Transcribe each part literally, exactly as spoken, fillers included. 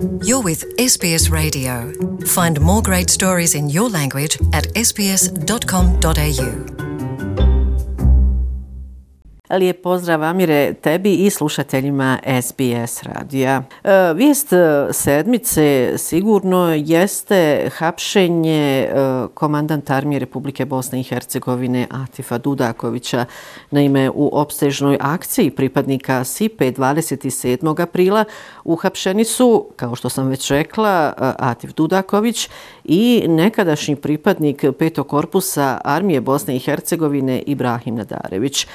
You're with S B S Radio. Find more great stories in your language at s b s dot com dot a u. Lijep pozdrav, Amire, tebi i slušateljima S B S radija. E, vijest sedmice sigurno jeste hapšenje e, komandanta armije Republike Bosne i Hercegovine Atifa Dudakovića. Naime, u opsežnoj akciji pripadnika S I P E dvadeset sedmog aprila uhapšeni su, kao što sam već rekla, Atif Dudaković i nekadašnji pripadnik petog korpusa armije Bosne i Hercegovine Ibrahim Nadarević.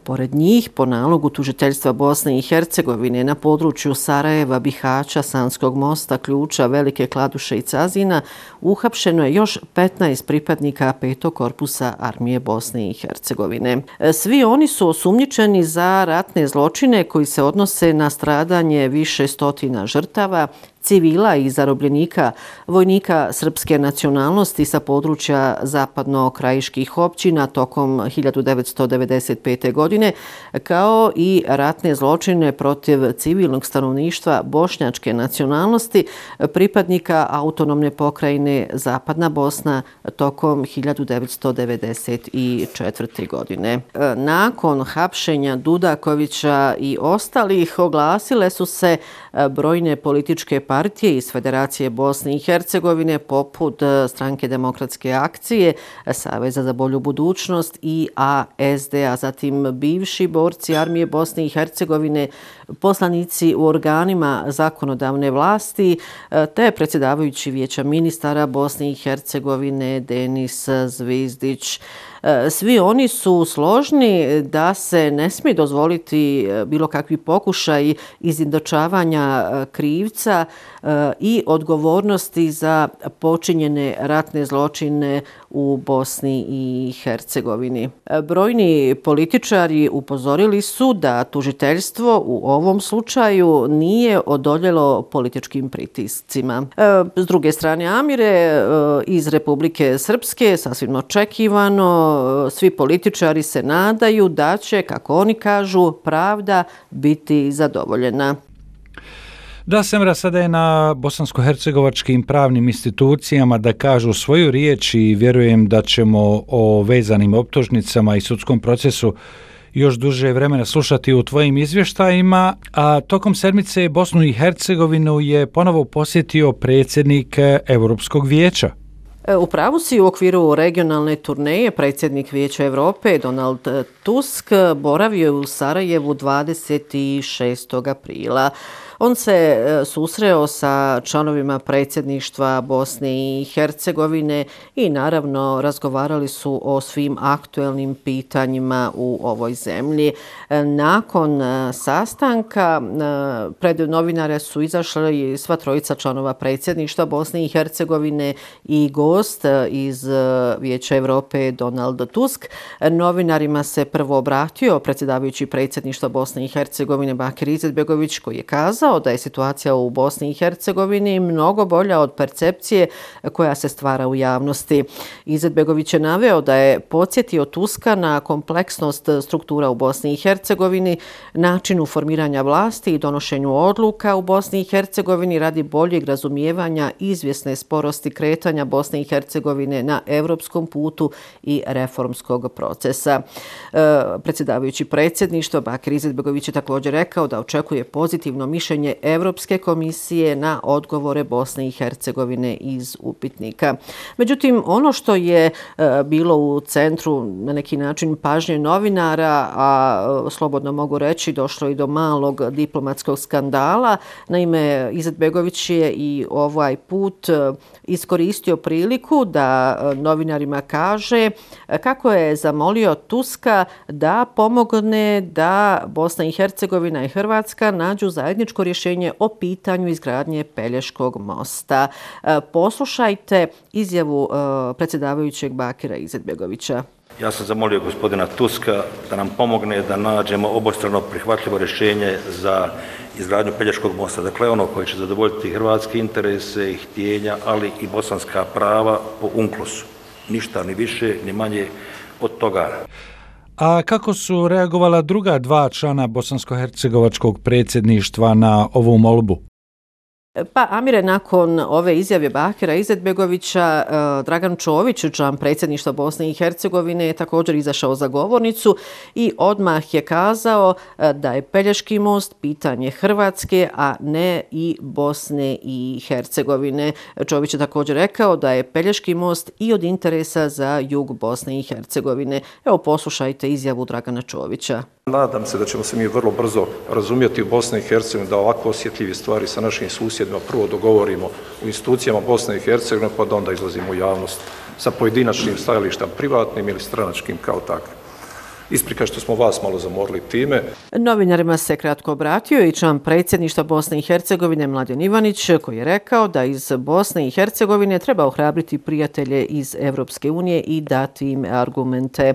Pored njih, po nalogu tužiteljstva Bosne i Hercegovine na području Sarajeva, Bihaća, Sanskog mosta, Ključa, Velike Kladuše i Cazina, uhapšeno je još petnaest pripadnika petog korpusa armije Bosne i Hercegovine. Svi oni su osumnjičeni za ratne zločine koji se odnose na stradanje više stotina žrtava, civila i zarobljenika, vojnika srpske nacionalnosti sa područja zapadno-krajiških općina tokom hiljadu devetsto devedeset pete. godine, kao i ratne zločine protiv civilnog stanovništva bošnjačke nacionalnosti, pripadnika autonomne pokrajine Zapadna Bosna tokom hiljadu devetsto devedeset četvrte. godine. Nakon hapšenja Dudakovića i ostalih oglasile su se brojne političke partije iz Federacije Bosne i Hercegovine poput Stranke demokratske akcije, Saveza za bolju budućnost i A S D, a zatim bivši borci armije Bosne i Hercegovine, poslanici u organima zakonodavne vlasti, te predsjedavajući Vijeća ministara Bosne i Hercegovine Denis Zvizdić. Svi oni su složni da se ne smije dozvoliti bilo kakvi pokušaj izjednačavanja krivca i odgovornosti za počinjene ratne zločine u Bosni i Hercegovini. Brojni političari upozorili su da tužiteljstvo u ovom slučaju nije odoljelo političkim pritiscima. S druge strane, Amire, iz Republike Srpske, sasvim očekivano, svi političari se nadaju da će, kako oni kažu, pravda biti zadovoljena. Da, Semra, sada je na bosansko-hercegovačkim pravnim institucijama da kažu svoju riječ i vjerujem da ćemo o vezanim optužnicama i sudskom procesu još duže vremena slušati u tvojim izvještajima, a tokom sedmice Bosnu i Hercegovinu je ponovo posjetio predsjednik Europskog vijeća. U pravu si, u okviru regionalne turneje predsjednik Vijeća Europe Donald Tusk boravio je u Sarajevu dvadeset šestog aprila. On se susreo sa članovima predsjedništva Bosne i Hercegovine i naravno razgovarali su o svim aktuelnim pitanjima u ovoj zemlji. Nakon sastanka pred novinare su izašli sva trojica članova predsjedništva Bosne i Hercegovine i gost iz Vijeća Europe Donald Tusk. Novinarima se prvo obratio predsjedavajući predsjedništva Bosne i Hercegovine Bakir Izetbegović, koji je kazao da je situacija u Bosni i Hercegovini mnogo bolja od percepcije koja se stvara u javnosti. Izetbegović je naveo da je podsjetio Tuska na kompleksnost struktura u Bosni i Hercegovini, načinu formiranja vlasti i donošenju odluka u Bosni i Hercegovini radi boljeg razumijevanja izvjesne sporosti kretanja Bosne i Hercegovine na europskom putu i reformskog procesa. E, predsjedavajući predsjedništva Bakir Izetbegović je također rekao da očekuje pozitivno mišljenje Europske komisije na odgovore Bosne i Hercegovine iz upitnika. Međutim, ono što je e, bilo u centru na neki način pažnje novinara, a slobodno mogu reći došlo i do malog diplomatskog skandala. Naime, Izetbegović je i ovaj put iskoristio priliku da novinarima kaže kako je zamolio Tuska da pomogne da Bosna i Hercegovina i Hrvatska nađu zajedničko rješenje o pitanju izgradnje Pelješkog mosta. Poslušajte izjavu predsjedavajućeg Bakira Izetbegovića. Ja sam zamolio gospodina Tuska da nam pomogne da nađemo obostrano prihvatljivo rješenje za izgradnju Pelješkog mosta. Dakle, ono koje će zadovoljiti hrvatske interese i htjenja, ali i bosanska prava po unklosu. Ništa ni više, ni manje od toga. A kako su reagovala druga dva člana bosansko-hercegovačkog predsjedništva na ovu molbu? Pa Amire, nakon ove izjave Bakira Izetbegovića, Dragan Čović, član predsjedništva Bosne i Hercegovine, je također izašao za govornicu i odmah je kazao da je Pelješki most pitanje Hrvatske, a ne i Bosne i Hercegovine. Čović je također rekao da je Pelješki most i od interesa za jug Bosne i Hercegovine. Evo, poslušajte izjavu Dragana Čovića. Nadam se da ćemo se mi vrlo brzo razumjeti u Bosni i Hercegovini, da ovako osjetljive stvari sa našim susjedima prvo dogovorimo u institucijama Bosne i Hercegovine, pa da onda izlazimo u javnost sa pojedinačnim stajalištem, privatnim ili stranačkim kao takvim. Isprika što smo vas malo zamorili time. Novinarima se kratko obratio i član predsjedništva Bosne i Hercegovine Mladen Ivanić, koji je rekao da iz Bosne i Hercegovine treba ohrabriti prijatelje iz Evropske unije i dati im argumente.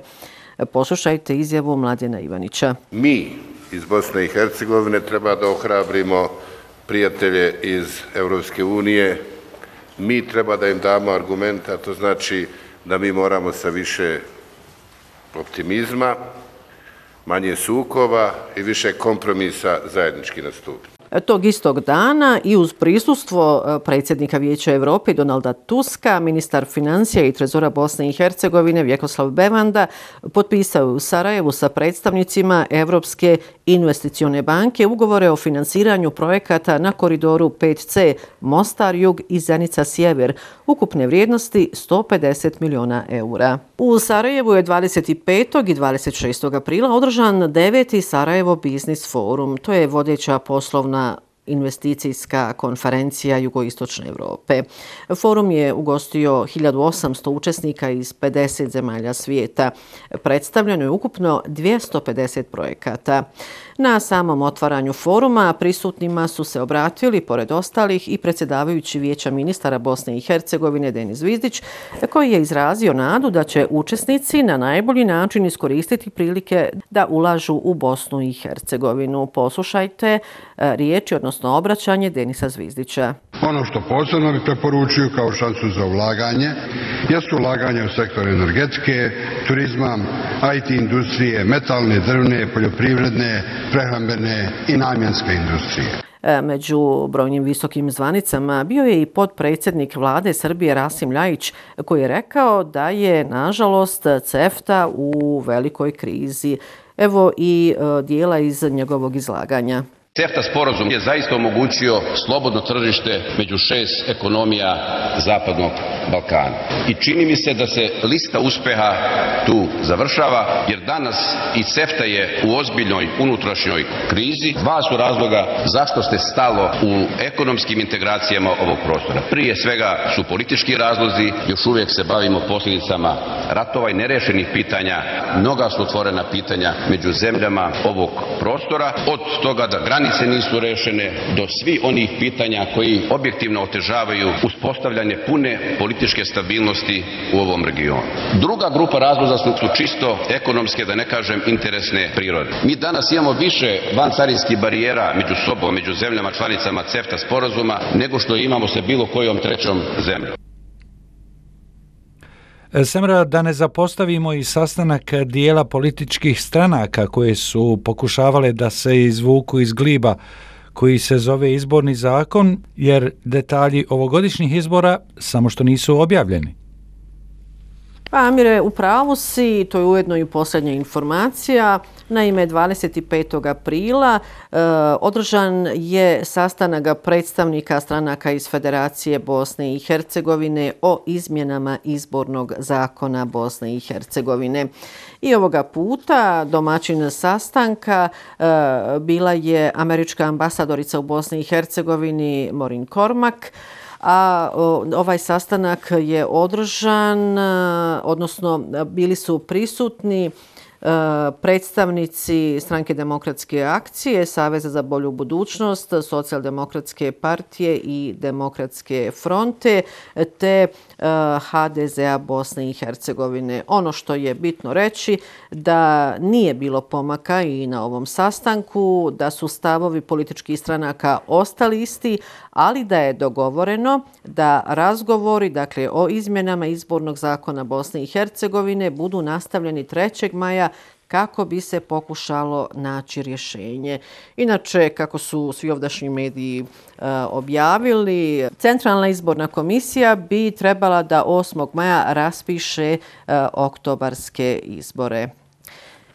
Poslušajte izjavu Mladena Ivanića. Mi iz Bosne i Hercegovine treba da ohrabrimo prijatelje iz Evropske unije. Mi treba da im damo argumente, a to znači da mi moramo sa više optimizma, manje sukoba i više kompromisa zajednički nastupiti. Tog istog dana i uz prisustvo predsjednika Vijeća Europe Donalda Tuska, ministar financija i trezora Bosne i Hercegovine Vjekoslav Bevanda potpisao u Sarajevu sa predstavnicima Europske investicione banke ugovore o finansiranju projekata na koridoru pet ce Mostar jug i Zenica sjever, ukupne vrijednosti sto pedeset miliona eura. U Sarajevu je dvadeset petog i dvadeset šestog aprila održan deveti Sarajevo Biznis Forum. To je vodeća poslovna investicijska konferencija Jugoistočne Europe. Forum je ugostio hiljadu osamsto učesnika iz pedeset zemalja svijeta. Predstavljeno je ukupno dvjesto pedeset projekata. Na samom otvaranju foruma prisutnima su se obratili, pored ostalih, i predsjedavajući Vijeća ministara Bosne i Hercegovine Denis Zvizdić, koji je izrazio nadu da će učesnici na najbolji način iskoristiti prilike da ulažu u Bosnu i Hercegovinu. Poslušajte riječi, odnosno obraćanje Denisa Zvizdića. Ono što posebno bi preporučio kao šansu za ulaganje jesu ulaganje u sektor energetike, turizma, i te industrije, metalne, drvne, poljoprivredne, prehrambene i namjenske industrije. Među brojnim visokim zvanicama bio je i potpredsjednik vlade Srbije Rasim Ljajić, koji je rekao da je, nažalost, CEFTA u velikoj krizi. Evo i dijela iz njegovog izlaganja. CEFTA sporazum je zaista omogućio slobodno tržište među šest ekonomija Zapadnog Balkana. I čini mi se da se lista uspeha tu završava, jer danas i CEFTA je u ozbiljnoj unutrašnjoj krizi. Dva su razloga zašto ste stalo u ekonomskim integracijama ovog prostora. Prije svega su politički razlozi, još uvijek se bavimo posljedicama ratova i nerešenih pitanja. Mnoga su otvorena pitanja među zemljama ovog prostora, od toga da granice nisu rešene do svih onih pitanja koji objektivno otežavaju uspostavljanje pune političke stabilnosti u ovom regionu. Druga grupa razloga su, su čisto ekonomske, da ne kažem interesne prirode. Mi danas imamo više vancarinskih barijera među sobom, među zemljama članicama CEFTA sporazuma, nego što imamo sa bilo kojom trećom zemljom. Semra, da ne zapostavimo i sastanak dijela političkih stranaka koje su pokušavale da se izvuku iz gliba koji se zove izborni zakon, jer detalji ovogodišnjih izbora samo što nisu objavljeni. Pa Amire, u pravu si, to je ujedno i posljednja informacija. Naime, dvadeset petog aprila e, održan je sastanak predstavnika stranaka iz Federacije Bosne i Hercegovine o izmjenama izbornog zakona Bosne i Hercegovine. I ovoga puta domaćin sastanka e, bila je američka ambasadorica u Bosni i Hercegovini Maureen Cormack, a ovaj sastanak je održan, odnosno bili su prisutni predstavnici Stranke demokratske akcije, Saveza za bolju budućnost, Socijaldemokratske partije i Demokratske fronte te ha de zea Bosne i Hercegovine. Ono što je bitno reći da nije bilo pomaka i na ovom sastanku, da su stavovi političkih stranaka ostali isti, ali da je dogovoreno da razgovori, dakle, o izmjenama izbornog zakona Bosne i Hercegovine budu nastavljeni trećeg maja kako bi se pokušalo naći rješenje. Inače, kako su svi ovdašnji mediji e, objavili, Centralna izborna komisija bi trebala da osmog maja raspiše e, oktobarske izbore.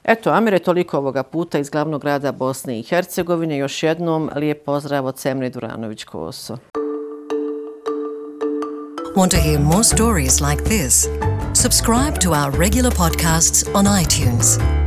Eto, Amire, toliko ovoga puta iz glavnog grada Bosne i Hercegovine. Još jednom lijep pozdrav od Semre Duranović-Koso. Want to hear more stories like this? Subscribe to our regular podcasts on iTunes.